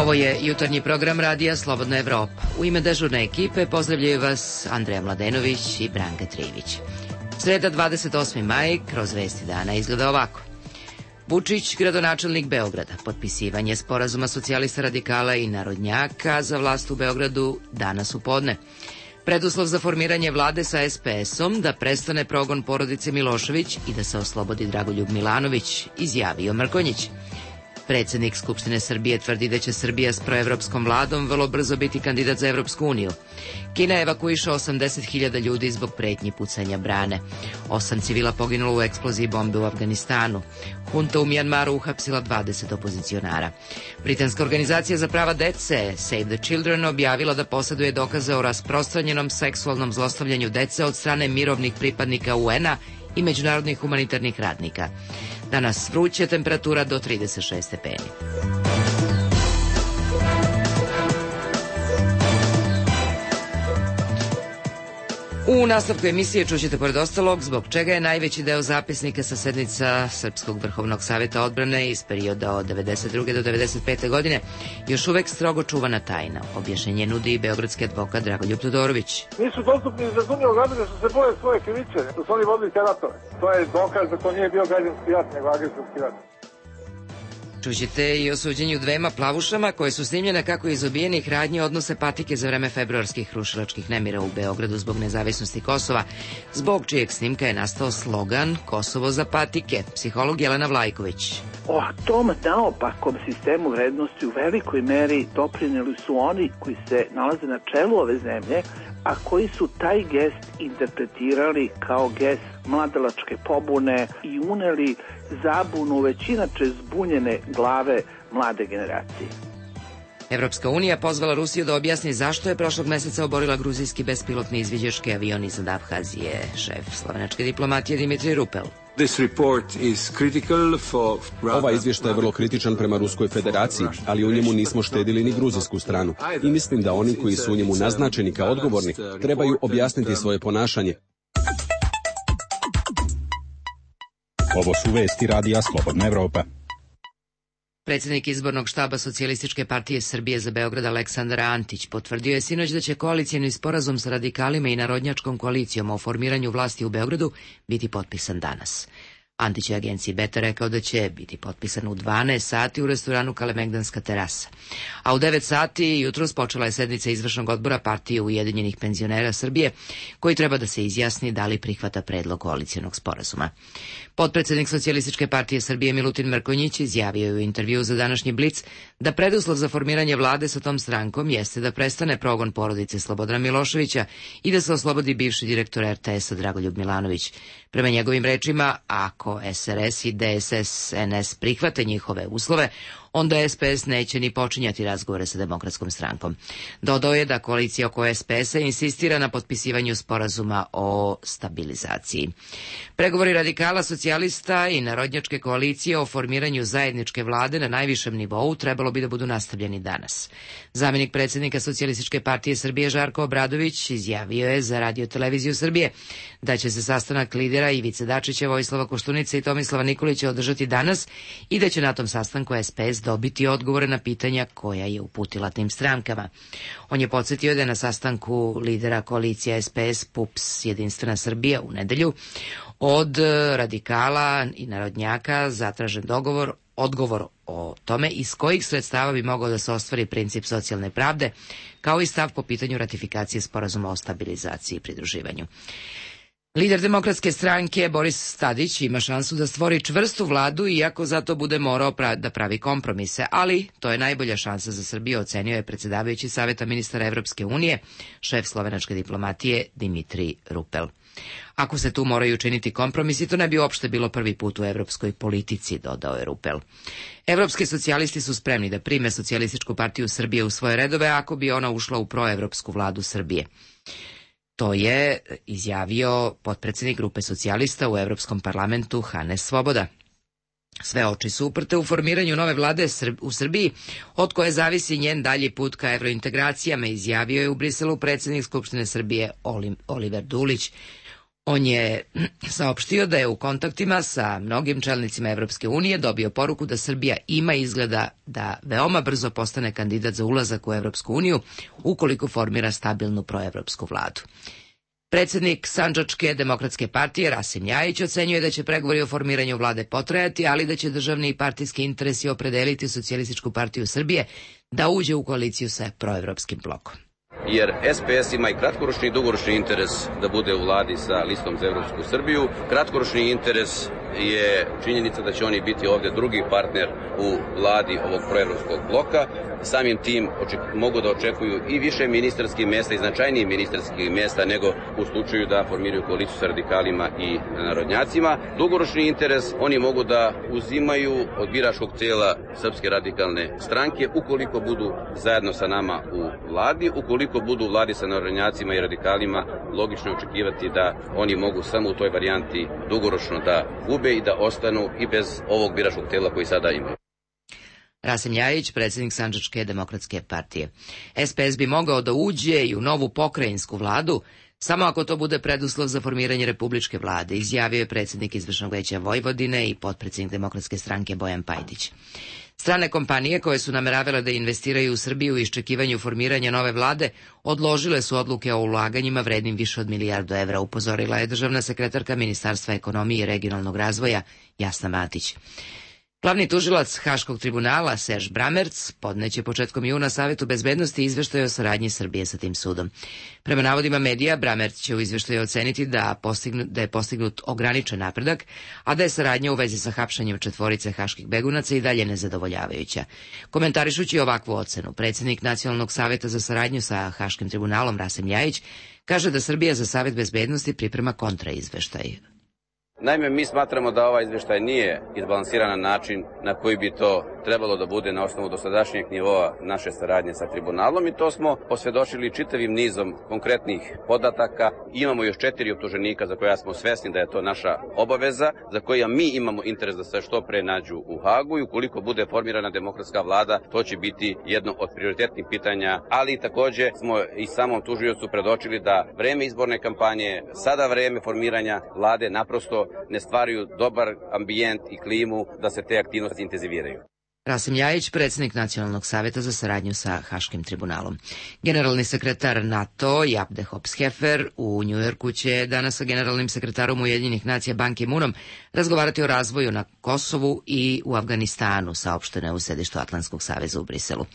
Ovo je jutarnji program radija Slobodna Evropa. U ime dežurne ekipe pozdravljaju vas Andreja Mladenović i Branka Trivić. Sreda 28. maj, kroz vesti dana izgleda ovako. Vučić, gradonačelnik Beograda, potpisivanje sporazuma socijalista, radikala i narodnjaka za vlast u Beogradu danas u podne. Preduslov za formiranje vlade sa SPS-om da prestane progon porodice Milošević i da se oslobodi Dragoljub Milanović, izjavio Mrkonjić. Predsednik Skupštine Srbije tvrdi da će Srbija s proevropskom vladom vrlo brzo biti kandidat za Evropsku uniju. Kina evakuiše 80.000 ljudi zbog pretnji pucanja brane. 8 civila poginulo u eksploziji bombe u Afganistanu. Hunta u Mjanmaru uhapsila 20 opozicionara. Britanska organizacija za prava dece Save the Children objavila da poseduje dokaze o rasprostranjenom seksualnom zlostavljanju dece od strane mirovnih pripadnika UN-a i međunarodnih humanitarnih radnika. Danas vruće, temperatura do 36 stepeni. U nastavku emisije čućete pored ostalog zbog čega je najveći deo zapisnika sa sednica Srpskog vrhovnog savjeta odbrane iz perioda od 92. do 95. godine još uvek strogo čuvana tajna. Objašnjenje nudi i beogradski advokat Dragoljub Todorović. Nisu dostupni iz razumljivog razloga što se boje svoje krivice, što su oni vodili te ratove. To je dokaz da to nije bio građanski rat, nego agresorski rat. Čućete i o suđenju dvema plavušama koje su snimljene kako iz obijenih radnji odnose patike za vreme februarskih rušilačkih nemira u Beogradu zbog nezavisnosti Kosova, zbog čijeg snimka je nastao slogan Kosovo za patike. Psiholog Jelena Vlajković. O tom naopakom sistemu vrednosti u velikoj meri doprineli su oni koji se nalaze na čelu ove zemlje, a koji su taj gest interpretirali kao gest mladalačke pobune i uneli zabunu već inače zbunjene glave mlade generacije. Evropska unija pozvala Rusiju da objasni zašto je prošlog meseca oborila gruzijski bespilotni izviđački avion iznad Abhazije. Šef slovenačke diplomatije Dimitrij Rupel. Ovaj izvještaj je vrlo kritičan prema Ruskoj federaciji, ali u njemu nismo štedili ni gruzijsku stranu. I mislim da oni koji su u njemu naznačeni kao odgovorni trebaju objasniti svoje ponašanje. Ovo su vesti radija Slobodna Evropa. Predsjednik izbornog štaba Socijalističke partije Srbije za Beograd Aleksandar Antić potvrdio je sinoć da će koalicijni sporazum sa radikalima i narodnjačkom koalicijom o formiranju vlasti u Beogradu biti potpisan danas. Antić je agenciji Beta rekao da će biti potpisan u 12 sati u restoranu Kalemegdanska terasa. A u 9 sati jutros počela je sednica izvršnog odbora partije Ujedinjenih penzionera Srbije, koji treba da se izjasni da li prihvata predlog koalicijonog sporazuma. Potpredsednik Socijalističke partije Srbije Milutin Mrkonjić izjavio je u intervjuu za današnji Blic da preduslov za formiranje vlade sa tom strankom jeste da prestane progon porodice Slobodana Miloševića i da se oslobodi bivši direktor RTS-a Dragoljub Milanović. Prema njegovim rečima, ako SRS i DSS-NS prihvate njihove uslove, onda SPS neće ni počinjati razgovore sa Demokratskom strankom. Dodao je da koalicija oko SPS-a insistira na potpisivanju sporazuma o stabilizaciji. Pregovori radikala, socijalista i narodnjačke koalicije o formiranju zajedničke vlade na najvišem nivou trebalo bi da budu nastavljeni danas. Zamenik predsjednika Socijalističke partije Srbije Žarko Obradović izjavio je za Radio televiziju Srbije da će se sastanak lidera Ivice Dačića, Vojislava Koštunice i Tomislava Nikolića održati danas i da će na tom sastanku SPS dobiti odgovore na pitanja koja je uputila tim strankama. On je podsjetio da je na sastanku lidera koalicija SPS, PUPS, Jedinstvena Srbija u nedelju od radikala i narodnjaka zatražen odgovor o tome iz kojih sredstava bi mogao da se ostvari princip socijalne pravde, kao i stav po pitanju ratifikacije sporazuma o stabilizaciji i pridruživanju. Lider Demokratske stranke Boris Tadić ima šansu da stvori čvrstu vladu, iako zato bude morao da pravi kompromise, ali to je najbolja šansa za Srbiju, ocenio je predsjedavajući Saveta ministara Evropske unije, šef slovenačke diplomatije Dimitrij Rupel. Ako se tu moraju učiniti kompromisi, to ne bi uopšte bilo prvi put u evropskoj politici, dodao je Rupel. Evropski socijalisti su spremni da prime Socijalističku partiju Srbije u svoje redove ako bi ona ušla u proevropsku vladu Srbije. To je izjavio potpredsjednik grupe socijalista u Evropskom parlamentu Hanes Svoboda. Sve oči su uprte u formiranju nove vlade u Srbiji, od koje zavisi njen dalji put ka evrointegracijama, izjavio je u Briselu predsjednik Skupštine Srbije Oliver Dulić. On je saopštio da je u kontaktima sa mnogim čelnicima Evropske unije dobio poruku da Srbija ima izgleda da veoma brzo postane kandidat za ulazak u Evropsku uniju ukoliko formira stabilnu proevropsku vladu. Predsjednik Sandžačke demokratske partije Rasim Ljajić ocenjuje da će pregovori o formiranju vlade potrajati, ali da će državni i partijski interesi opredeliti Socijalističku partiju Srbije da uđe u koaliciju sa proevropskim blokom. Jer SPS ima i kratkoročni i dugoročni interes da bude u vladi sa listom za Evropsku Srbiju. Kratkoročni interes je činjenica da će oni biti ovdje drugi partner u vladi ovog proevropskog bloka. Samim tim mogu da očekuju i više ministarskih mjesta i značajnijih ministarskih mjesta nego u slučaju da formiraju koaliciju sa radikalima i narodnjacima. Dugoročni interes oni mogu da uzimaju od biračkog tijela Srpske radikalne stranke ukoliko budu zajedno sa nama u vladi. Ukoliko budu u vladi sa narodnjacima i radikalima, logično je očekivati da oni mogu samo u toj varijanti dugoročno da gube i da ostanu i bez ovog biračkog tijela koji sada imaju. Rasim Ljajić, predsjednik Sandžačke demokratske partije. SPS bi mogao da uđe i u novu pokrajinsku vladu, samo ako to bude preduslov za formiranje republičke vlade, izjavio je predsjednik Izvršnog veća Vojvodine i potpredsjednik Demokratske stranke Bojan Pajtić. Strane kompanije koje su nameravale da investiraju u Srbiju u iščekivanju formiranja nove vlade odložile su odluke o ulaganjima vrednim više od milijardu evra, upozorila je državna sekretarka Ministarstva ekonomije i regionalnog razvoja Jasna Matić. Glavni tužilac Haškog tribunala Serž Bramerc podneće početkom juna Savetu bezbednosti izveštaj o saradnji Srbije sa tim sudom. Prema navodima medija, Bramerc će u izveštaju oceniti da je postignut ograničen napredak, a da je saradnja u vezi sa hapšanjem četvorice haških begunaca i dalje nezadovoljavajuća. Komentarišući ovakvu ocenu, predsjednik Nacionalnog saveta za saradnju sa Haškim tribunalom Rasim Ljajić kaže da Srbija za Savet bezbednosti priprema kontraizveštaj. Naime, mi smatramo da ovaj izvještaj nije izbalansiran na način na koji bi to trebalo da bude na osnovu dosadašnjeg nivoa naše saradnje sa tribunalom i to smo posvjedočili čitavim nizom konkretnih podataka. Imamo još 4 optuženika za koja smo svesni da je to naša obaveza, za koja mi imamo interes da se što pre nađu u Hagu i ukoliko bude formirana demokratska vlada, to će biti jedno od prioritetnih pitanja, ali također smo i samom tužiocu predočili da vreme izborne kampanje, sada vreme formiranja vlade naprosto ne stvaraju dobar ambijent i klimu da se te aktivnosti intenziviraju. Rasim Ljajić, predsjednik Nacionalnog saveta za saradnju sa Haškim tribunalom. Generalni sekretar NATO Jaap de Hoop Scheffer u Njujorku će danas sa generalnim sekretarom Ujedinjenih nacija Ban Ki-moonom razgovarati o razvoju na Kosovu i u Afganistanu, saopšteno je u sedištu Atlantskog saveza u Briselu.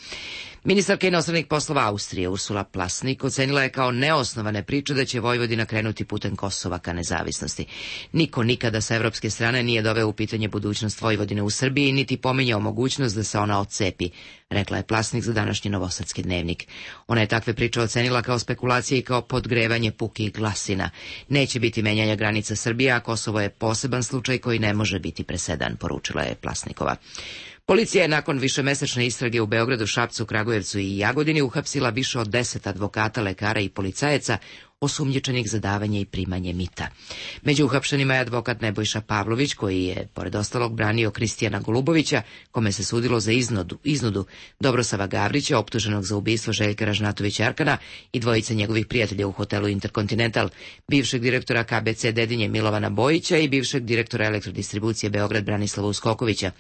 Ministarka inostranih poslova Austrije Ursula Plasnik ocenila je kao neosnovane priče da će Vojvodina krenuti putem Kosova ka nezavisnosti. Niko nikada sa evropske strane nije doveo u pitanje budućnost Vojvodine u Srbiji, niti pominjao mogućnost da se ona odcepi, rekla je Plasnik za današnji Novosadski dnevnik. Ona je takve priče ocenila kao spekulacije i kao podgrevanje pukih glasina. Neće biti menjanja granica Srbije, a Kosovo je poseban slučaj koji ne može biti presedan, poručila je Plasnikova. Policija je nakon višemesečne istrage u Beogradu, Šapcu, Kragujevcu i Jagodini uhapsila više od 10 advokata, lekara i policajaca osumnjičenih za davanje i primanje mita. Među uhapšenima je advokat Nebojša Pavlović, koji je, pored ostalog, branio Kristijana Golubovića, kome se sudilo za iznudu, Dobrosava Gavrića, optuženog za ubistvo Željka Ražnatovića Arkana i dvojice njegovih prijatelja u hotelu Interkontinental, bivšeg direktora KBC Dedinje Milovana Bojića i bivšeg direktora elektrodistribucije Beograd Branislava Uskokovića.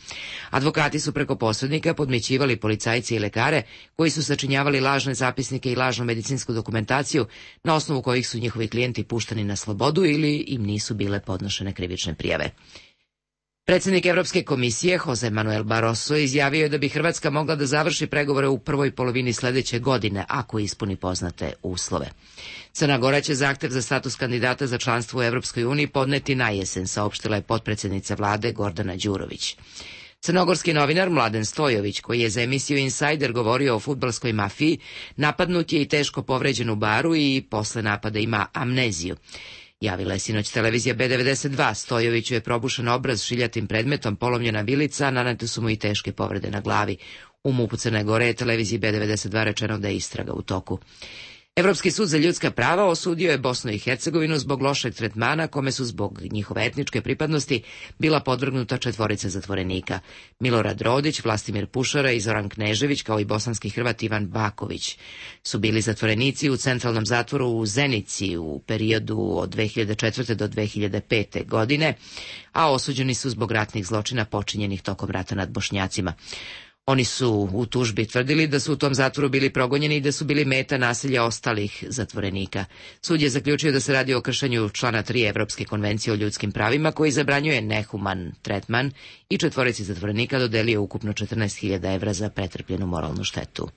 Advokati su preko posrednika podmećivali policajce i lekare koji su sačinjavali lažne zapisnike i lažnu medicinsku dokumentaciju na osnovu kojih su njihovi klijenti puštani na slobodu ili im nisu bile podnošene krivične prijave. Predsjednik Evropske komisije Jose Manuel Barroso izjavio je da bi Hrvatska mogla da završi pregovore u prvoj polovini sljedeće godine ako ispuni poznate uslove. Crna Gora će zahtev za status kandidata za članstvo u Evropskoj uniji podneti na jesen, saopštila je potpredsjednica vlade Gordana Đurović. Crnogorski novinar Mladen Stojović, koji je za emisiju Insider govorio o fudbalskoj mafiji, napadnut je i teško povređen u baru i posle napada ima amneziju. Javila je sinoć televizija B92, Stojoviću je probušen obraz šiljatim predmetom, polomljena vilica, nanete su mu i teške povrede na glavi. U MUP-u Crne Gore je televiziji B92 rečeno da je istraga u toku. Evropski sud za ljudska prava osudio je Bosnu i Hercegovinu zbog lošeg tretmana kome su zbog njihove etničke pripadnosti bila podvrgnuta 4 zatvorenika. Milorad Rodić, Vlastimir Pušara i Zoran Knežević, kao i bosanski Hrvat Ivan Baković, su bili zatvorenici u centralnom zatvoru u Zenici u periodu od 2004. do 2005. godine, a osuđeni su zbog ratnih zločina počinjenih tokom rata nad Bošnjacima. Oni su u tužbi tvrdili da su u tom zatvoru bili progonjeni i da su bili meta nasilja ostalih zatvorenika. Sud je zaključio da se radi o kršenju člana 3 Evropske konvencije o ljudskim pravima, koji zabranjuje nehuman tretman, i 4 zatvorenika dodelio ukupno 14.000 evra za pretrpljenu moralnu štetu.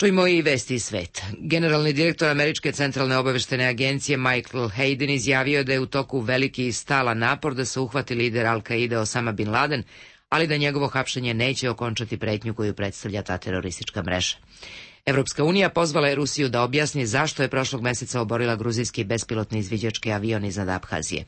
Čujmo i vesti iz sveta. Generalni direktor Američke centralne obaveštajne agencije Michael Hayden izjavio da je u toku veliki i stalan napor da se uhvati lider Al-Kaide Osama Bin Laden, ali da njegovo hapšenje neće okončati pretnju koju predstavlja ta teroristička mreža. Evropska unija pozvala je Rusiju da objasni zašto je prošlog meseca oborila gruzijski bespilotni izviđački avion iznad Abhazije.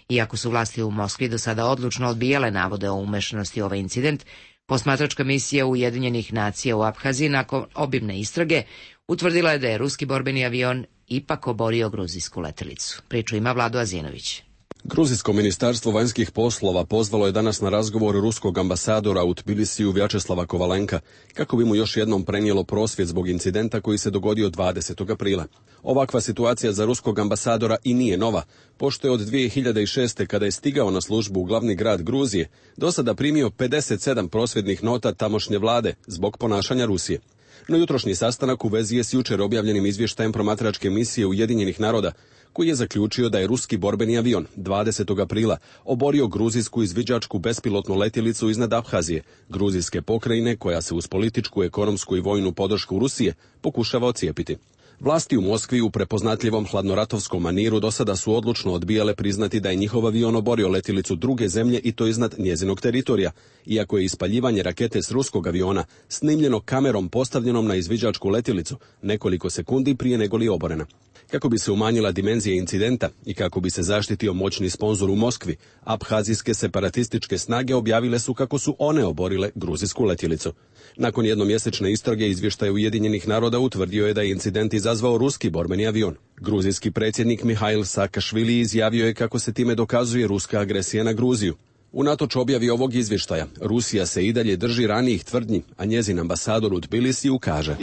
Iako su vlasti u Moskvi do sada odlučno odbijale navode o umešanosti u ovaj incident, posmatračka misija Ujedinjenih nacija u Abhaziji nakon obimne istrage utvrdila je da je ruski borbeni avion ipak oborio gruzijsku letelicu. Priču ima Vlado Azinović. Gruzijsko ministarstvo vanjskih poslova pozvalo je danas na razgovor ruskog ambasadora u Tbilisiju Vjačeslava Kovalenka, kako bi mu još jednom prenijelo prosvjed zbog incidenta koji se dogodio 20. aprila. Ovakva situacija za ruskog ambasadora i nije nova, pošto je od 2006. kada je stigao na službu u glavni grad Gruzije, do sada primio 57 prosvjednih nota tamošnje vlade zbog ponašanja Rusije. No jutrošnji sastanak u vezi je s jučer objavljenim izvještajem promatračke misije Ujedinjenih naroda, koji je zaključio da je ruski borbeni avion 20. aprila oborio gruzijsku izviđačku bespilotnu letjelicu iznad Abhazije, gruzijske pokrajine koja se uz političku, ekonomsku i vojnu podršku Rusije pokušava ocijepiti. Vlasti u Moskvi u prepoznatljivom hladnoratovskom maniru do sada su odlučno odbijale priznati da je njihov avion oborio letjelicu druge zemlje i to iznad njezinog teritorija, iako je ispaljivanje rakete s ruskog aviona snimljeno kamerom postavljenom na izviđačku letjelicu nekoliko sekundi prije nego li oborena. Kako bi se umanjila dimenzija incidenta i kako bi se zaštitio moćni sponzor u Moskvi, abhazijske separatističke snage objavile su kako su one oborile gruzijsku letjelicu. Nakon jednomjesečne istrage izvještaj Ujedinjenih naroda utvrdio je da je incident izazvao ruski borbeni avion. Gruzijski predsjednik Mihail Saakašvili izjavio je kako se time dokazuje ruska agresija na Gruziju. Unatoč objavi ovog izvještaja, Rusija se i dalje drži ranijih tvrdnji, a njezin ambasador u Tbilisiju kaže: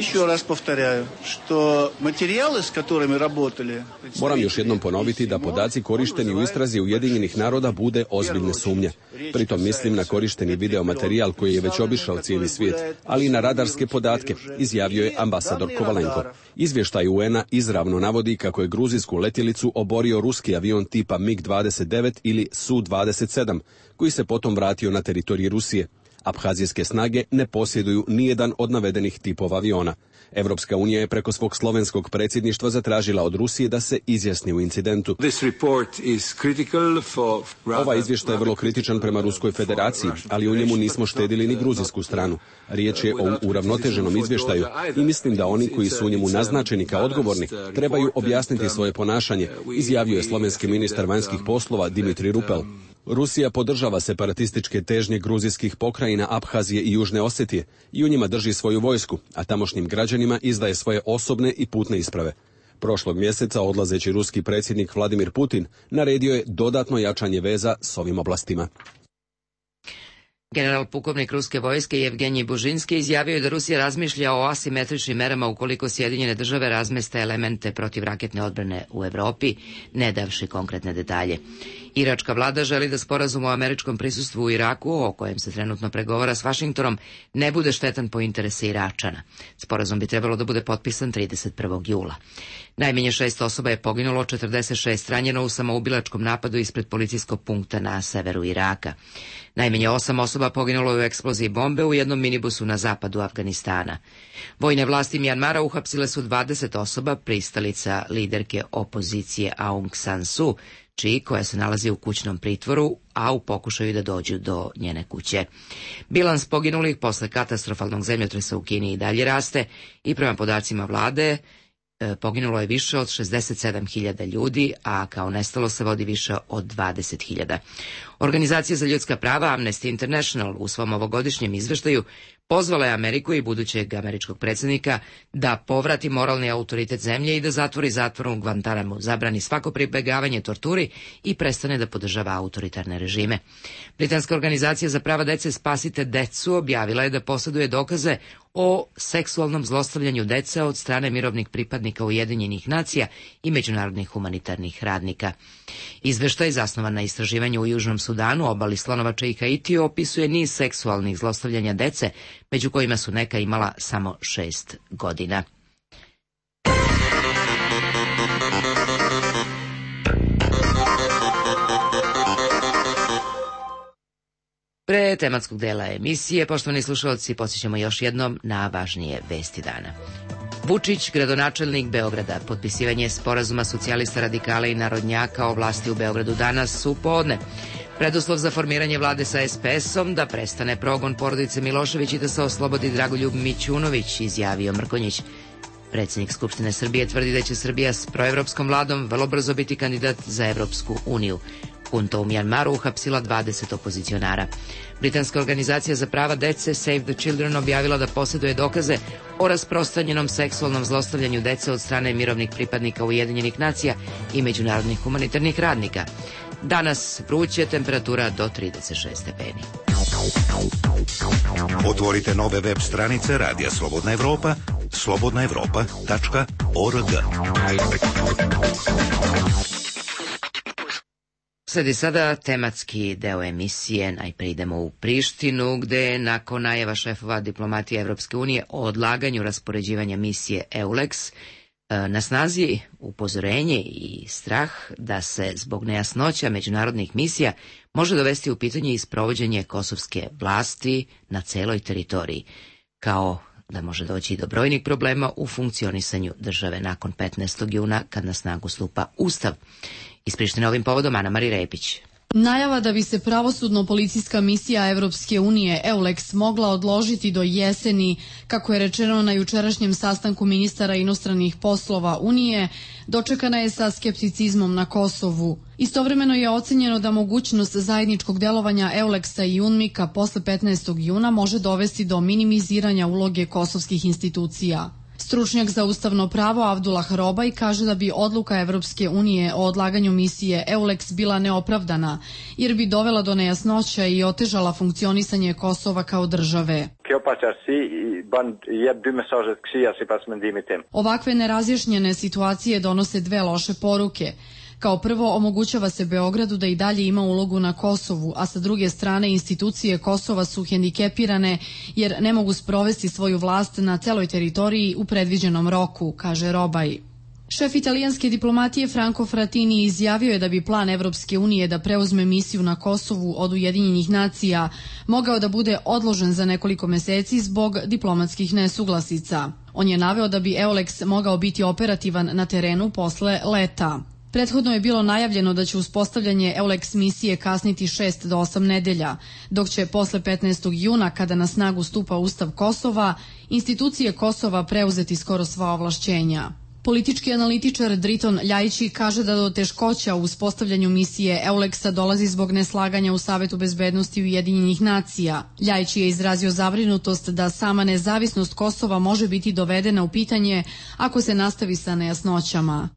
Moram još jednom ponoviti da podaci korišteni u istrazi Ujedinjenih naroda bude ozbiljne sumnje. Pritom mislim na korišteni videomaterijal koji je već obišao cijeli svijet, ali i na radarske podatke, izjavio je ambasador Kovalenko. Izvještaj UN-a izravno navodi kako je gruzijsku letjelicu oborio ruski avion tipa MiG-29 ili Su-27, koji se potom vratio na teritorij Rusije. Abhazijske snage ne posjeduju nijedan od navedenih tipova aviona. Evropska unija je preko svog slovenskog predsjedništva zatražila od Rusije da se izjasni u incidentu. Ovaj izvještaj je vrlo kritičan prema Ruskoj federaciji, ali u njemu nismo štedili ni gruzijsku stranu. Riječ je o uravnoteženom izvještaju i mislim da oni koji su u njemu naznačeni kao odgovorni trebaju objasniti svoje ponašanje, izjavio je slovenski ministar vanjskih poslova Dimitri Rupel. Rusija podržava separatističke težnje gruzijskih pokrajina Abhazije i Južne Osetije i u njima drži svoju vojsku, a tamošnjim građanima izdaje svoje osobne i putne isprave. Prošlog mjeseca odlazeći ruski predsjednik Vladimir Putin naredio je dodatno jačanje veza s ovim oblastima. General pukovnik ruske vojske Jevgenij Bužinski izjavio je da Rusija razmišlja o asimetričnim merama ukoliko Sjedinjene države razmeste elemente protivraketne odbrane u Evropi, ne davši konkretne detalje. Iračka vlada želi da sporazum o američkom prisustvu u Iraku, o kojem se trenutno pregovara s Vašingtonom, ne bude štetan po interese Iračana. Sporazum bi trebalo da bude potpisan 31. jula. Najmanje 6 osoba je poginulo, 46 ranjeno u samoubilačkom napadu ispred policijskog punkta na severu Iraka. Najmanje 8 osoba poginulo je u eksploziji bombe u jednom minibusu na zapadu Afganistana. Vojne vlasti Mjanmara uhapsile su 20 osoba, pristalica liderke opozicije Aung San Suu Kyi, koja se nalazi u kućnom pritvoru, a u pokušaju da dođu do njene kuće. Bilans poginulih posle katastrofalnog zemljotresa u Kini i dalje raste i prema podacima vlade poginulo je više od 67.000 ljudi, a kao nestalo se vodi više od 20.000. Organizacija za ljudska prava Amnesty International u svom ovogodišnjem izveštaju pozvala je Ameriku i budućeg američkog predsjednika da povrati moralni autoritet zemlje i da zatvori zatvor u Guantanamu, zabrani svako pribegavanje torturi i prestane da podržava autoritarne režime. Britanska organizacija za prava dece Spasite decu objavila je da posjeduje dokaze o seksualnom zlostavljanju dece od strane mirovnih pripadnika Ujedinjenih nacija i međunarodnih humanitarnih radnika. Izveštaj, zasnovan na istraživanju u Južnom Sudanu, obali Slonovača i Haitiju, opisuje niz seksualnih zlostavljanja dece, među kojima su neka imala samo 6 godina. Pre tematskog dela emisije, poštovani slušalci, podsjećamo još jednom na važnije vesti dana. Vučić, gradonačelnik Beograda, potpisivanje sporazuma socijalista, radikala i narodnjaka o vlasti u Beogradu danas u podne. Preduslov za formiranje vlade sa SPS-om da prestane progon porodice Milošević i da se oslobodi Dragoljub Mićunović, izjavio Mrkonjić. Predsjednik Skupštine Srbije tvrdi da će Srbija s proevropskom vladom vrlo brzo biti kandidat za Evropsku uniju. Hunta u Mjanmaru uhapsila 20 opozicionara. Britanska organizacija za prava dece Save the Children objavila da posjeduje dokaze o rasprostranjenom seksualnom zlostavljanju dece od strane mirovnih pripadnika Ujedinjenih nacija i međunarodnih humanitarnih radnika. Danas vruće, temperatura do 36 stepeni. Otvorite nove web stranice Radija Slobodna Evropa, slobodnaevropa.org. Sledi sada tematski deo emisije. Najprije idemo u Prištinu, gde nakon najava šefova diplomatije Evropske unije o odlaganju raspoređivanja misije EULEX na snazi upozorenje i strah da se zbog nejasnoća međunarodnih misija može dovesti u pitanje i sprovođenje kosovske vlasti na celoj teritoriji, kao da može doći i do brojnih problema u funkcionisanju države nakon 15. juna kad na snagu stupa Ustav. Iz Prištine ovim povodom Ana Mari Repić. Najava da bi se pravosudno-policijska misija Evropske unije EULEX mogla odložiti do jeseni, kako je rečeno na jučerašnjem sastanku ministara inostranih poslova Unije, dočekana je sa skepticizmom na Kosovu. Istovremeno je ocenjeno da mogućnost zajedničkog delovanja EULEX-a i UNMIK-a posle 15. juna može dovesti do minimiziranja uloge kosovskih institucija. Stručnjak za ustavno pravo Avdullah Robaj kaže da bi odluka Evropske unije o odlaganju misije EULEX bila neopravdana, jer bi dovela do nejasnoća i otežala funkcionisanje Kosova kao države. Ovakve nerazjašnjene situacije donose dve loše poruke. Kao prvo, omogućava se Beogradu da i dalje ima ulogu na Kosovu, a sa druge strane institucije Kosova su hendikepirane jer ne mogu sprovesti svoju vlast na celoj teritoriji u predviđenom roku, kaže Robaj. Šef italijanske diplomatije Franco Frattini izjavio je da bi plan Evropske unije da preuzme misiju na Kosovu od Ujedinjenih nacija mogao da bude odložen za nekoliko meseci zbog diplomatskih nesuglasica. On je naveo da bi EULEX mogao biti operativan na terenu posle leta. Prethodno je bilo najavljeno da će uspostavljanje EULEX misije kasniti 6 do 8 nedelja, dok će posle 15. juna, kada na snagu stupa Ustav Kosova, institucije Kosova preuzeti skoro sva ovlašćenja. Politički analitičar Driton Ljajići kaže da do teškoća u uspostavljanju misije EULEX-a dolazi zbog neslaganja u Savetu bezbednosti Ujedinjenih nacija. Ljajići je izrazio zabrinutost da sama nezavisnost Kosova može biti dovedena u pitanje ako se nastavi sa nejasnoćama.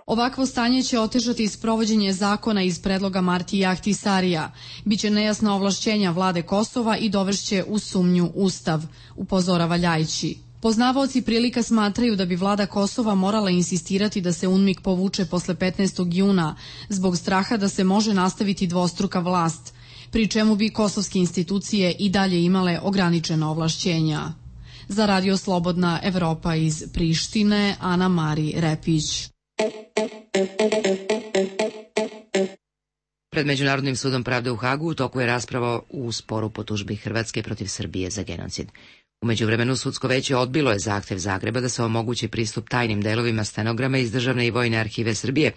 Ovakvo stanje će otežati sprovođenje zakona iz predloga Marti Ahtisarija. Biće nejasna ovlašćenja vlade Kosova i dovešće u sumnju Ustav, upozorava Ljajići. Poznavaoci prilika smatraju da bi vlada Kosova morala insistirati da se UNMIK povuče posle 15. juna zbog straha da se može nastaviti dvostruka vlast, pri čemu bi kosovske institucije i dalje imale ograničena ovlašćenja. Za Radio Slobodna Evropa iz Prištine, Ana Mari Repić. Pred Međunarodnim sudom pravde u Hagu u toku je rasprava u sporu po tužbi Hrvatske protiv Srbije za genocid. U međuvremenu sudsko veće odbilo je zahtev Zagreba da se omogući pristup tajnim delovima stenograma iz Državne i Vojne arhive Srbije,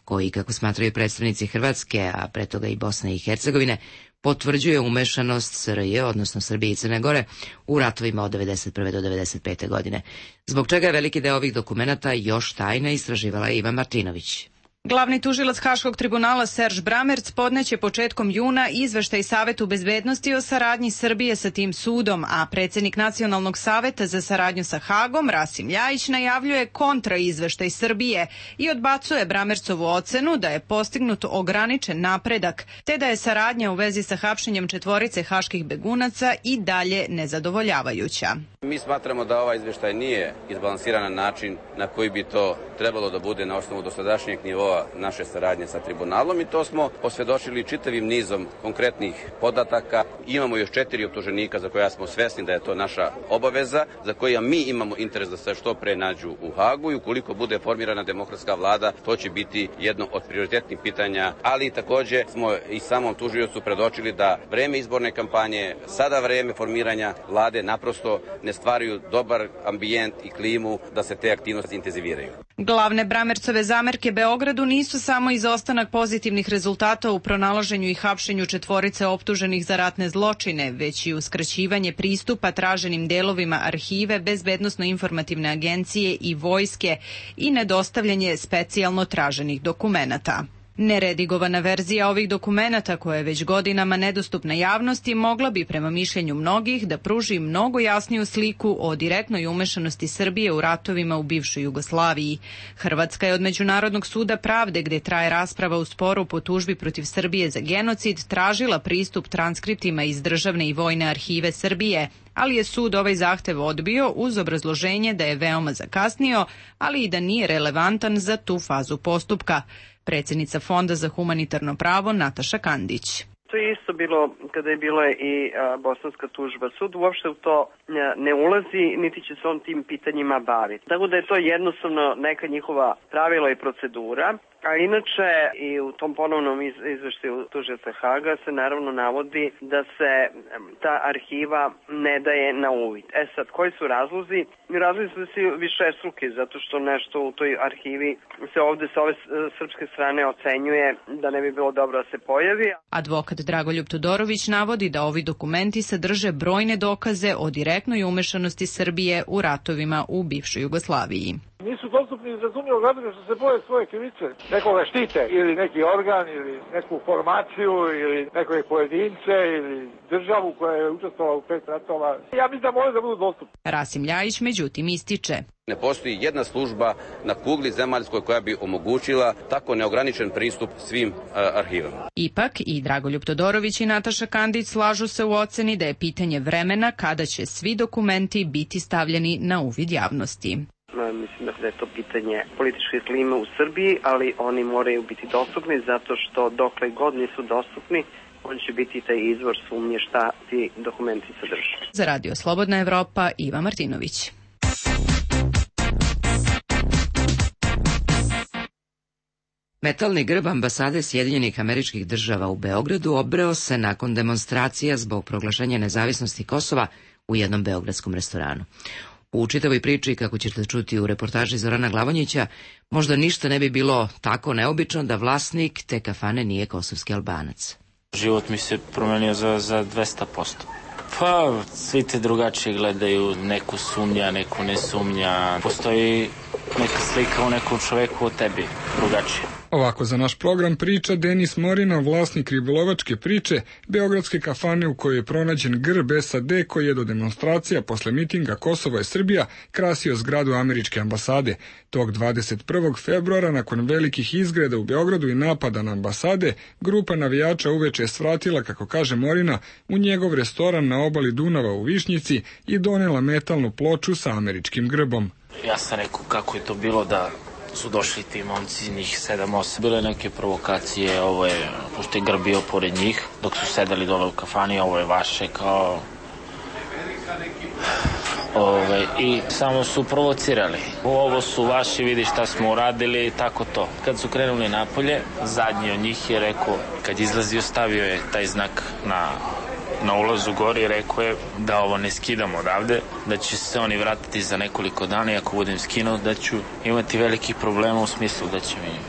koji, kako smatraju predstavnici Hrvatske, a pre toga i Bosne i Hercegovine, potvrđuje umešanost SRJ, odnosno Srbije i Crne Gore, u ratovima od 1991. do 1995. godine. Zbog čega je veliki deo ovih dokumenata još tajna, istraživala je Ivan Martinović. Glavni tužilac Haškog tribunala Serž Bramerc podneće početkom juna izveštaj Savetu bezbednosti o saradnji Srbije sa tim sudom, a predsjednik Nacionalnog saveta za saradnju sa Hagom, Rasim Ljajić, najavljuje kontraizveštaj Srbije i odbacuje Bramercovu ocenu da je postignut ograničen napredak, te da je saradnja u vezi sa hapšenjem 4 haških begunaca i dalje nezadovoljavajuća. Mi smatramo da ovaj izveštaj nije izbalansiran na način na koji bi to trebalo da bude na osnovu dosadašnjeg nivoa naše saradnje sa tribunalom i to smo posvjedočili čitavim nizom konkretnih podataka. Imamo još 4 optuženika za koja smo svesni da je to naša obaveza, za koja mi imamo interes da se što pre nađu u Hagu i ukoliko bude formirana demokratska vlada, to će biti jedno od prioritetnih pitanja, ali takođe smo i samom tužiocu predočili da vreme izborne kampanje, sada vreme formiranja vlade naprosto ne stvaraju dobar ambijent i klimu da se te aktivnosti intenziviraju. Glavne Bramercove zamerke Beogradu nisu samo izostanak pozitivnih rezultata u pronalaženju i hapšenju 4 optuženih za ratne zločine, već i uskraćivanje pristupa traženim delovima arhive, bezbednosno-informativne agencije i vojske i nedostavljanje specijalno traženih dokumenata. Neredigovana verzija ovih dokumenata, koja je već godinama nedostupna javnosti, mogla bi prema mišljenju mnogih da pruži mnogo jasniju sliku o direktnoj umešanosti Srbije u ratovima u bivšoj Jugoslaviji. Hrvatska je od Međunarodnog suda pravde, gde traje rasprava u sporu po tužbi protiv Srbije za genocid, tražila pristup transkriptima iz državne i vojne arhive Srbije, ali je sud ovaj zahtev odbio uz obrazloženje da je veoma zakasnio, ali i da nije relevantan za tu fazu postupka. Predsjednica Fonda za humanitarno pravo Nataša Kandić. To je isto bilo kada je bila i bosanska tužba. Sud uopšte u to ne ulazi, niti će se on tim pitanjima baviti. Tako da je to jednostavno neka njihova pravila i procedura. A inače i u tom ponovnom izveštaju tužioca Haga se naravno navodi da se ta arhiva ne daje na uvid. Sad, koji su razlozi? Razlozi su višestruki, zato što nešto u toj arhivi se ovde sa ove srpske strane ocenjuje da ne bi bilo dobro da se pojavi. Advokat Dragoljub Todorović navodi da ovi dokumenti sadrže brojne dokaze o direktnoj umešanosti Srbije u ratovima u bivšoj Jugoslaviji. Nisu dostupni iz razumljivog razloga što se boje svoje krivice. Nekoga štite ili neki organ ili neku formaciju ili nekoje pojedince ili državu koja je učestvovala u 5 ratova. Ja mislim da može da budu dostupni. Rasim Ljajić međutim ističe. Ne postoji jedna služba na kugli zemaljskoj koja bi omogućila tako neograničen pristup svim arhivama. Ipak i Dragoljub Todorović i Nataša Kandić slažu se u oceni da je pitanje vremena kada će svi dokumenti biti stavljeni na uvid javnosti. Mislim da je to pitanje političke klime u Srbiji, ali oni moraju biti dostupni zato što dokle god nisu dostupni, on će biti taj izvor sumnje šta ti dokumenti sadrže. Za Radio Slobodna Evropa, Iva Martinović. Metalni grb ambasade Sjedinjenih Američkih Država u Beogradu obreo se nakon demonstracija zbog proglašenja nezavisnosti Kosova u jednom beogradskom restoranu. U čitavoj priči, kako ćete čuti u reportaži Zorana Glavonjića, možda ništa ne bi bilo tako neobično da vlasnik te kafane nije kosovski Albanac. Život mi se promenio za 200%. Pa, svi te drugačije gledaju, neku sumnja, neku ne sumnja. Postoji neka slika u nekom čoveku o tebi, drugačije. Ovako za naš program priča Denis Morina, vlasnik ribolovačke priče, beogradske kafane u kojoj je pronađen grb SAD koji je do demonstracija posle mitinga Kosovo i Srbija krasio zgradu američke ambasade. Tog 21. februara, nakon velikih izgreda u Beogradu i napada na ambasade, grupa navijača uveče je svratila, kako kaže Morina, u njegov restoran na obali Dunava u Višnjici i donela metalnu ploču sa američkim grbom. Ja sam rekao kako je to bilo da su došli ti momci, njih 7-8. Bile neke provokacije, ovo je, pošto je grb bio pored njih, dok su sedeli dole u kafani, ovo je vaše, kao... I samo su provocirali. Ovo su vaši, vidi šta smo uradili, tako to. Kad su krenuli napolje, zadnji od njih je rekao, kad izlazio, stavio je taj znak na ulazu gori, rekao je da ovo ne skidamo odavde, da će se oni vratiti za nekoliko dana i ako budem skinuo da ću imati velikih problema u smislu da će mi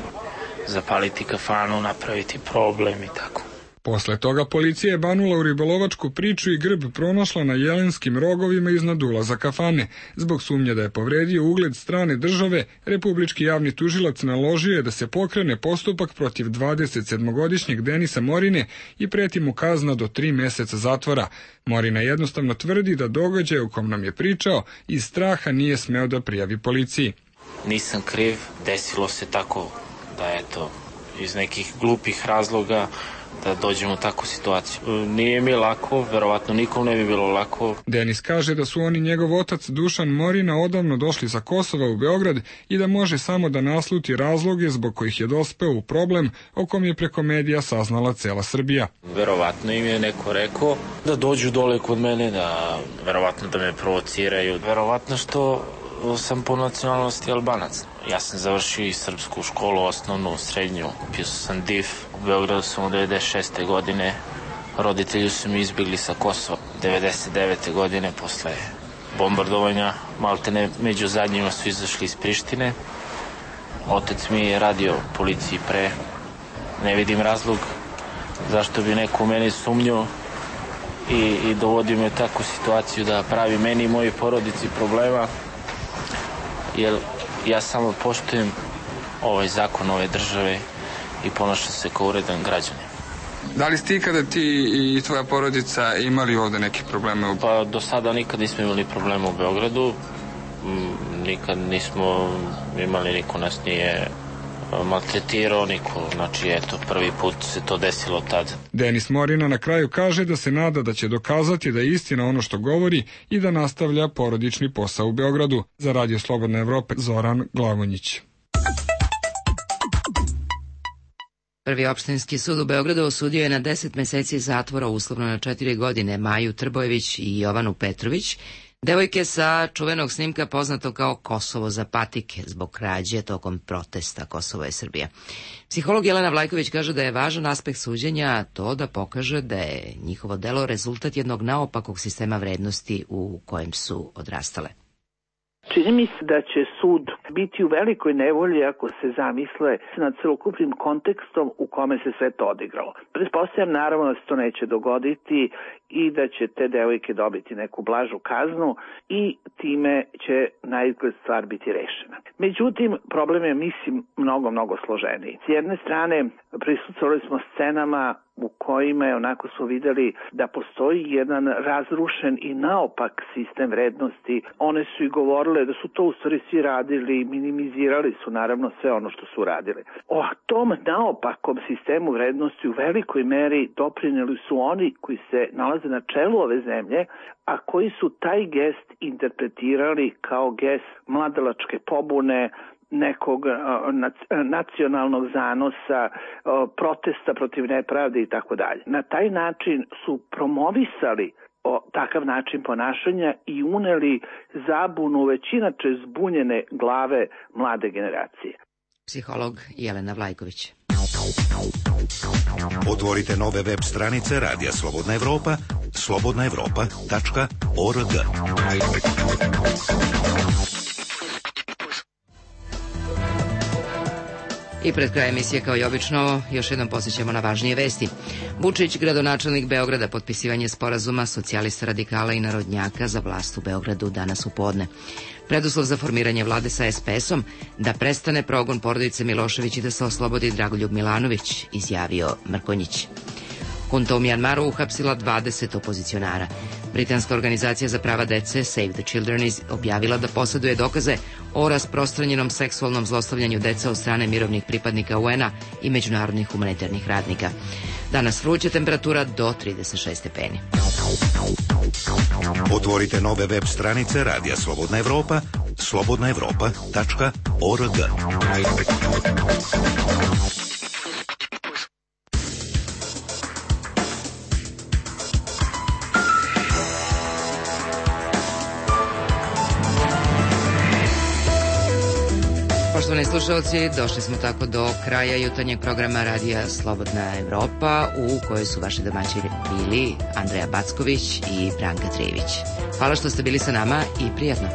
zapaliti kafanu, napraviti problem i tako. Posle toga policija je banula u ribolovačku priču i grb pronašla na jelenskim rogovima iznad ulaza kafane. Zbog sumnje da je povredio ugled strane države, republički javni tužilac naložio je da se pokrene postupak protiv 27-godišnjeg Denisa Morine i preti mu kazna do 3 meseca zatvora. Morina jednostavno tvrdi da događaj o kom nam je pričao iz straha nije smeo da prijavi policiji. Nisam kriv, desilo se tako da eto, iz nekih glupih razloga da dođemo u takvu situaciju. Nije mi lako, verovatno nikom ne bi bilo lako. Denis kaže da su on i njegov otac Dušan Morina odavno došli sa Kosova u Beograd i da može samo da nasluti razloge zbog kojih je dospeo u problem o kom je preko medija saznala cela Srbija. Verovatno im je neko rekao da dođu dole kod mene, da verovatno da me provociraju. Verovatno što sam po nacionalnosti Albanac. Ja sam završio i srpsku školu, osnovnu, srednju. Pio sam DIF. U Beogradu sam u 96. godine. Roditelji su mi izbjegli sa Kosova. 99. godine posle bombardovanja. Maltene među zadnjima su izašli iz Prištine. Otec mi je radio policiji pre. Ne vidim razlog zašto bi neko u meni sumnjao i dovodio me u takvu situaciju da pravi meni i mojoj porodici problema. Jer ja samo poštujem ovaj zakon ove države i ponašam se kao uredan građanin. Da li ste ikada ti i tvoja porodica imali ovde neke probleme? Pa do sada nikad nismo imali problema u Beogradu. Nikad nismo imali, niko nas nije maltretirao, niko. Znači, eto, prvi put se to desilo tad. Denis Morina na kraju kaže da se nada da će dokazati da je istina ono što govori i da nastavlja porodični posao u Beogradu. Za Radio Slobodne Evrope, Zoran Glavonjić. Prvi opštinski sud u Beogradu osudio je na 10 meseci zatvora, uslovno na 4 godine, Maju Trbojević i Jovanu Petrović, devojke sa čuvenog snimka poznato kao Kosovo za patike, zbog krađe tokom protesta Kosovo je Srbija. Psiholog Jelena Vlajković kaže da je važan aspekt suđenja to da pokaže da je njihovo delo rezultat jednog naopakog sistema vrednosti u kojem su odrastale. Čini mi se da će sud biti u velikoj nevolji ako se zamisle nad celokupnim kontekstom u kome se sve to odigralo. Pretpostavljam naravno da se to neće dogoditi i da će te devojke dobiti neku blažu kaznu i time će na izgled stvar biti rešena. Međutim, problem je, mislim, mnogo složeniji. S jedne strane, prisustvovali smo scenama u kojima je onako smo videli da postoji jedan razrušen i naopak sistem vrednosti. One su i govorile da su to u stvari svi radili, minimizirali su naravno sve ono što su radili. O tom naopakom sistemu vrednosti u velikoj meri doprineli su oni koji se nalaze na čelu ove zemlje, a koji su taj gest interpretirali kao gest mladalačke pobune, nekog nacionalnog zanosa, protesta protiv nepravde i tako dalje. Na taj način su promovisali takav način ponašanja i uneli zabunu već inače zbunjene glave mlade generacije. Psiholog Jelena Vlajković. Otvorite nove web stranice Radija Slobodna Evropa, slobodnaevropa.org. I pred kraj emisije, kao i obično, još jednom posjećamo na važnije vesti. Vučić, gradonačelnik Beograda, potpisivanje sporazuma socijalista, radikala i narodnjaka za vlast u Beogradu danas u podne. Preduslov za formiranje vlade sa SPS-om da prestane progon porodice Milošević i da se oslobodi Dragoljub Milanović, izjavio Mrkonjić. Hunta u Mjanmaru uhapsila 20 opozicionara. Britanska organizacija za prava dece Save the Children objavila da posjeduje dokaze o rasprostranjenom seksualnom zlostavljanju dece od strane mirovnih pripadnika UN-a i međunarodnih humanitarnih radnika. Danas vruća temperatura do 36 stepeni. Otvorite nove web stranice Radija Slobodna Evropa, slobodnaevropa.org. Poštovani slušalci, došli smo tako do kraja jutarnjeg programa Radija Slobodna Evropa, u kojoj su vaši domaćini bili Andreja Backović i Branka Trijević. Hvala što ste bili sa nama i prijatno.